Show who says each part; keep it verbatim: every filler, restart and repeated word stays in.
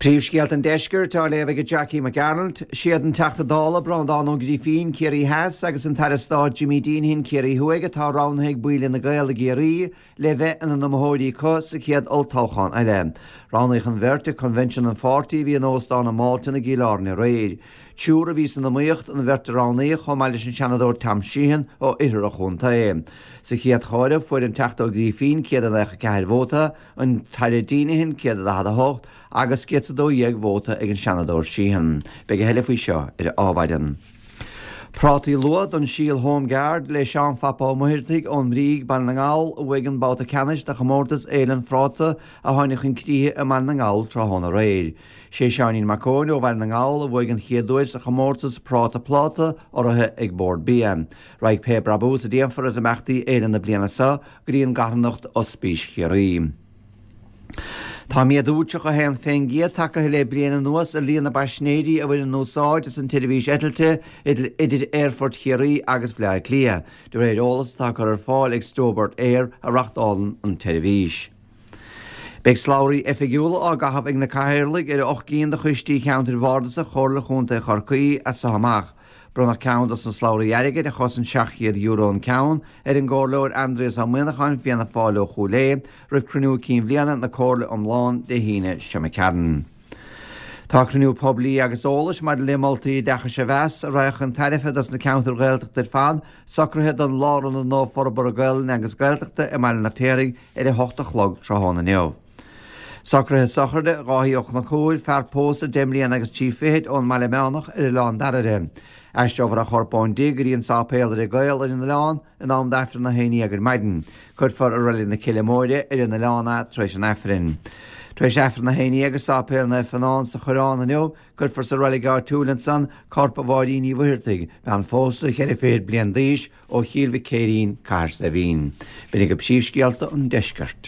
Speaker 1: Príomhscéalta an Deiscirt á léamh ag Jackie McGarrant, Siad an Teachta Dála Breandán Ó Grífín Ciarraí Theas agus an tAire Stáit Jimmy Deenihan Ciarraí Thuaidh atá roghnaithe ag baill Fhine Gael i gCiarraí le bheith ina n-iomaitheoirí acu sa chéad olltoghchán eile. Roghnaíodh an bheirt ag coinbhinsiún an pháirtí a bhí in Óstán an Mhalton i gCill Airne aréir. Triúr a bhí san iomaíocht an bheirt a roghnaíodh chomh maith leis an Seanadóir Tom Sheehan ó oirthear an chontae. Sa chéad chomhaireamh fuair an Teachta Ó Grífín céad a nócha ceathair vóta, an tAire Deenihan céad a daichead a hocht, agus céad a dó dhéag vóta ag an Seanadóir Sheehan. Beidh a thuilleadh faoi seo ar Adhmhaidin. Prátaí luath don síol Home Guard le Seán Phapa Ó Muirthigh ón mBríg Baile na nGall a bhuaigh an babhta ceannais de chomórtas Fhéile an Phráta a tháinig chun críche i mBaile na nGall tráthnóna aréir. Sé Seáinín Mac Eoin ó Bhaile na nGall a bhuaigh an chéad duais sa chomórtas Práta Pláta urraithe ag Bord Bia. Raghaidh pé brabús a déanfar as imeachtaí Fhéile na bliana seo go dtí an gcarthanacht Ospís Chiarraí. Tá méadú tríocha a haon faoin gcéad tagtha le bliain anuas ar líon na bpaisinéirí a bhaineann úsáid as an tseirbhís eitilte idir Aerfort Chiarraí agus Bhaile Átha Cliath, de réir eolas atá curtha ar fáil ag Stobart Air a reáchtálann an tseirbhís. Beidh slabhraí oifigiúla á gcaitheamh ag na cathaoirligh ar ocht gcinn de choistí cheantair bhardasacha Chomhairle Chontae Chorcaí as seo amach. Bronnadh ceann dos na slabhraí airgid a chosain seacht chéad euro an ceann ar an gcomhairleoir Aindrias Ó Muimhneacháin Fianna Fáil ó Chúil Aodha roimh cruinniú cinn bhliana na Comhairle iomlán Dé hAoine seo chugainn. Tá cruinniú poiblí agus eolais maidir le moltaí oideachais a mheas a raghadh chun tairbhe dos na ceantair Ghaeltachta ar fad socraithe don Lárionad Nua Forbartha Gaelainne agus Gaeltachta i mBaile an Fheirtéaraigh ar a hocht a chlog tráthnóna inniu. Socruithe sochraide Dháithí Ó Conchúir, fear pósta deich mbliana agus trí fichid ón mBaile Meánach ar Oileán Dairbhre. Aistreofar a chorp ón dtigh go dtí an sáipéal ar an gCaol ar an oileán in am d'Aifreann a haon déag ar maidin. Cuirfear i Reilig na Cille Móire ar an oileán é tar éis an Aifrinn. Tar éis Aifreann a haon déag i Sáipéal Naomh Fionán sa Choireán inniu, cuirfear sa reilig áitiúil ansan corp Mháirín Ní Mhuircheartaigh, bean phósta cheithre fichid bliain d'aois ó Chill Mhic Céirín, Cathair Saidhbhín. B'in agaibh príomhscéalta an deiscirt.